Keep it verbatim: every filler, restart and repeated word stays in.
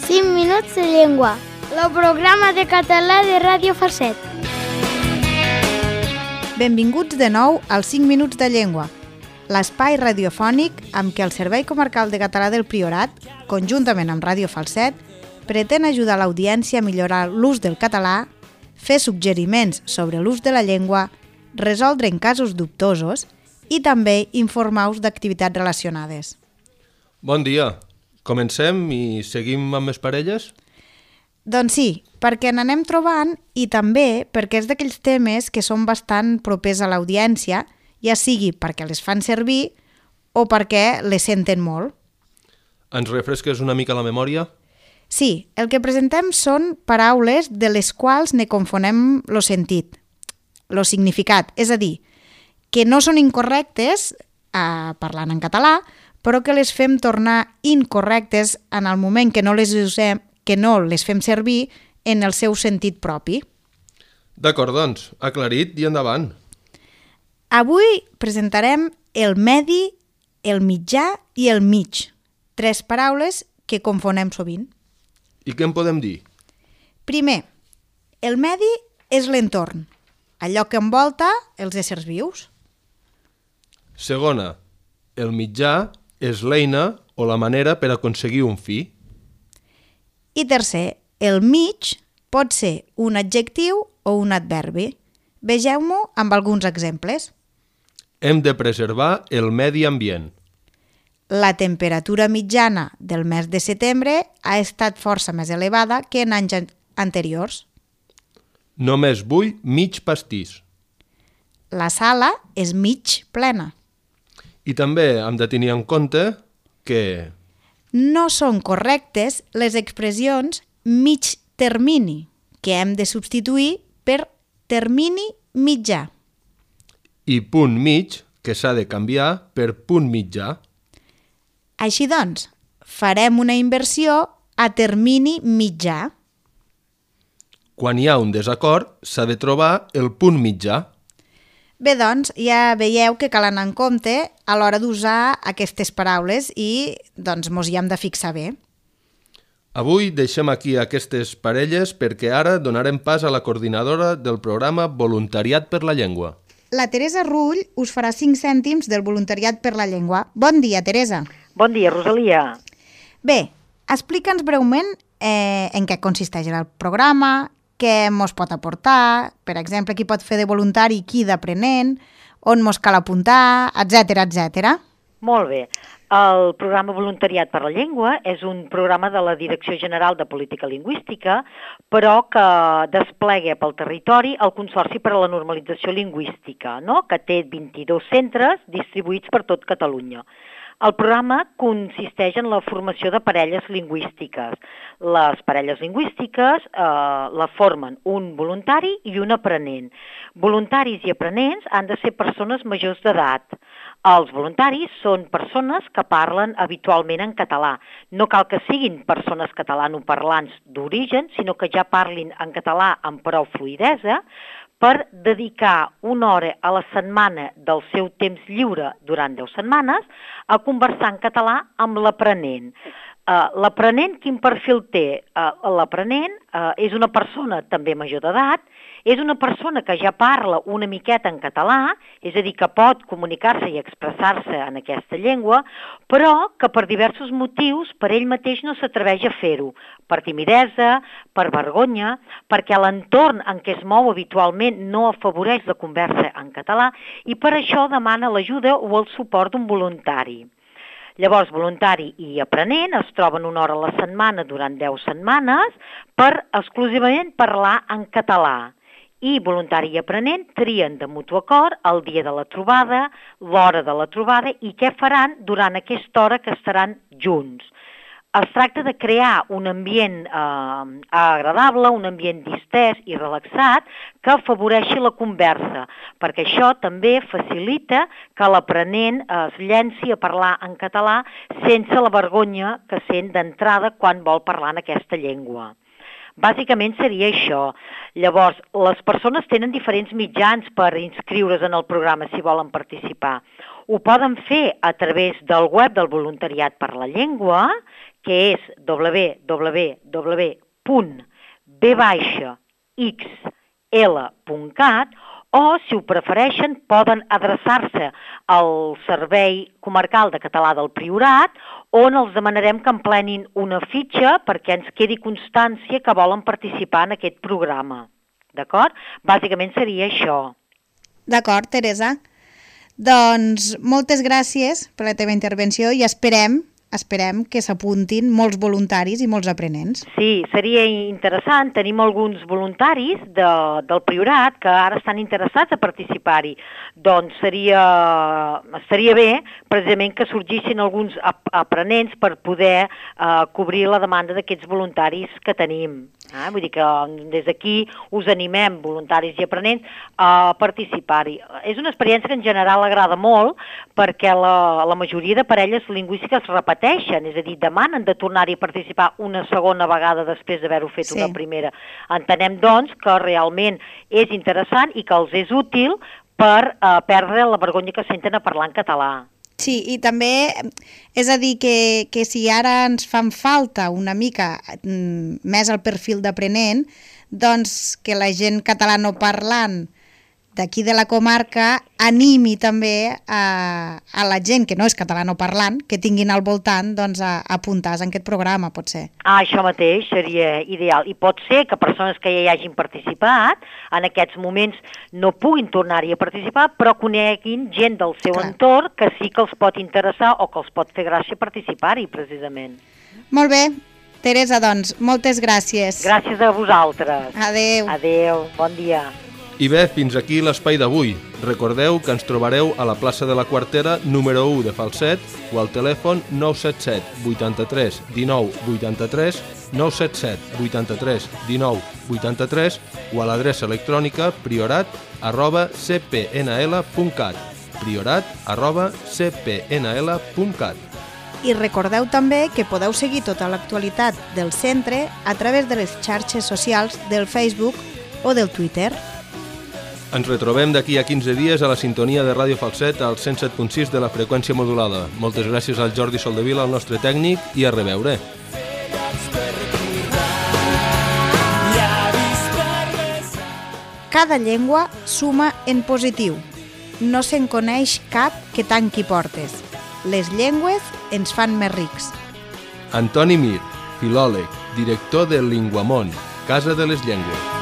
cinc minuts de llengua, el programa de català de Ràdio Falset. Benvinguts de nou als cinc minuts de llengua, l'espai radiofònic amb què el Servei Comarcal de Català del Priorat, conjuntament amb Ràdio Falset, pretén ajudar l'audiència a millorar l'ús del català, fer suggeriments sobre l'ús de la llengua, resoldre en casos dubtosos i també informar-vos d'activitats relacionades. Bon dia. Comencem i seguim amb les parelles? Doncs sí, perquè n'anem trobant i també perquè és d'aquells temes que són bastant propers a l'audiència, ja sigui perquè les fan servir o perquè les senten molt. Ens refresques una mica la memòria? Sí, el que presentem són paraules de les quals ne confonem el sentit, el significat, és a dir, que no són incorrectes eh, parlant en català, però que les fem tornar incorrectes en el moment que no les usem, que no les fem servir en el seu sentit propi. D'acord, doncs, aclarit i endavant. Avui presentarem el medi, el mitjà i el mig, tres paraules que confonem sovint. I què en podem dir? Primer, el medi és l'entorn, allò que envolta els éssers vius. Segona, el mitjà és l'eina o la manera per aconseguir un fi. I tercer, el mig pot ser un adjectiu o un adverbi. Vegeu-m'ho amb alguns exemples. Hem de preservar el medi ambient. La temperatura mitjana del mes de setembre ha estat força més elevada que en anys anteriors. Només vull mig pastís. La sala és mig plena. I també hem de tenir en compte que no són correctes les expressions mig termini, que hem de substituir per termini mitjà. I punt mig, que s'ha de canviar per punt mitjà. Així doncs, farem una inversió a termini mitjà. Quan hi ha un desacord, s'ha de trobar el punt mitjà. Bé, doncs, ja veieu que cal anar en compte a l'hora d'usar aquestes paraules i doncs mos hi hem de fixar bé. Avui deixem aquí aquestes parelles perquè ara donarem pas a la coordinadora del programa Voluntariat per la Llengua. La Teresa Rull us farà cinc cèntims del Voluntariat per la Llengua. Bon dia, Teresa. Bon dia, Rosalia. Bé, explica'ns breument eh, en què consisteix el programa, què mos pot aportar, per exemple, qui pot fer de voluntari, qui d'aprenent, on mos cal apuntar, etcètera, etcètera. Molt bé. El programa Voluntariat per la Llengua és un programa de la Direcció General de Política Lingüística, però que desplega pel territori el Consorci per a la Normalització Lingüística, no? Que té vint-i-dos centres distribuïts per tot Catalunya. El programa consisteix en la formació de parelles lingüístiques. Les parelles lingüístiques eh, la formen un voluntari i un aprenent. Voluntaris i aprenents han de ser persones majors d'edat. Els voluntaris són persones que parlen habitualment en català. No cal que siguin persones catalanoparlants d'origen, sinó que ja parlin en català amb prou fluïdesa, per dedicar una hora a la setmana del seu temps lliure durant deu setmanes a conversar en català amb l'aprenent. Uh, l'aprenent, quin perfil té? Uh, l'aprenent uh, és una persona també major d'edat, és una persona que ja parla una miqueta en català, és a dir, que pot comunicar-se i expressar-se en aquesta llengua, però que per diversos motius per ell mateix no s'atreveix a fer-ho, per timidesa, per vergonya, perquè l'entorn en què es mou habitualment no afavoreix la conversa en català i per això demana l'ajuda o el suport d'un voluntari. Llavors, voluntari i aprenent es troben una hora a la setmana durant deu setmanes per exclusivament parlar en català. I voluntari i aprenent trien de mutu acord el dia de la trobada, l'hora de la trobada i què faran durant aquesta hora que estaran junts. Es tracta de crear un ambient eh, agradable, un ambient distès i relaxat que afavoreixi la conversa, perquè això també facilita que l'aprenent es llenci a parlar en català sense la vergonya que sent d'entrada quan vol parlar en aquesta llengua. Bàsicament seria això. Llavors, les persones tenen diferents mitjans per inscriure's en el programa si volen participar. Ho poden fer a través del web del Voluntariat per la Llengua, que és w w w punt b x l punt cat, o, si ho prefereixen, poden adreçar-se al Servei Comarcal de Català del Priorat, on els demanarem que emplenin una fitxa perquè ens quedi constància que volen participar en aquest programa. D'acord? Bàsicament seria això. D'acord, Teresa. Doncs moltes gràcies per la teva intervenció i esperem esperem que s'apuntin molts voluntaris i molts aprenents. Sí, seria interessant. Tenim alguns voluntaris de, del Priorat que ara estan interessats a participar-hi. Doncs seria, seria bé, precisament, que sorgissin alguns aprenents per poder eh, cobrir la demanda d'aquests voluntaris que tenim. Eh? Vull dir que des d'aquí us animem, voluntaris i aprenents, a participar-hi. És una experiència que en general agrada molt perquè la, la majoria de parelles lingüístiques repeteixen, és a dir, demanen de tornar-hi a participar una segona vegada després d'haver-ho fet sí. una primera. Entenem, doncs, que realment és interessant i que els és útil per eh, perdre la vergonya que senten a parlar en català. Sí, i també, és a dir, que, que si ara ens fan falta una mica mm, més el perfil d'aprenent, doncs que la gent catalanoparlant d'aquí de la comarca animi també a, a la gent que no és catalanoparlant, que tinguin al voltant doncs, a, a apuntar-se en aquest programa, pot ser. Ah, això mateix seria ideal. I pot ser que persones que ja hi hagin participat en aquests moments no puguin tornar-hi a participar, però coneguin gent del seu Clar. entorn que sí que els pot interessar o que els pot fer gràcia participar-hi, precisament. Molt bé. Teresa, doncs, moltes gràcies. Gràcies a vosaltres. Adéu. Adéu, bon dia. I bé, fins aquí l'espai d'avui. Recordeu que ens trobareu a la plaça de la Quartera número u de Falset o al telèfon nou set set vuitanta-tres dinou vuitanta-tres, nou set set vuitanta-tres dinou vuitanta-tres o a l'adreça electrònica priorat arroba c p n l punt cat, priorat arroba c p n l punt cat. I recordeu també que podeu seguir tota l'actualitat del centre a través de les xarxes socials del Facebook o del Twitter. Ens retrobem d'aquí a quinze dies a la sintonia de Ràdio Falset al cent set punt sis de la freqüència modulada. Moltes gràcies al Jordi Soldevila, el nostre tècnic, i a reveure. Cada llengua suma en positiu. No se'n coneix cap que tanqui portes. Les llengües ens fan més rics. Antoni Mir, filòleg, director del Linguamont, Casa de les Llengües.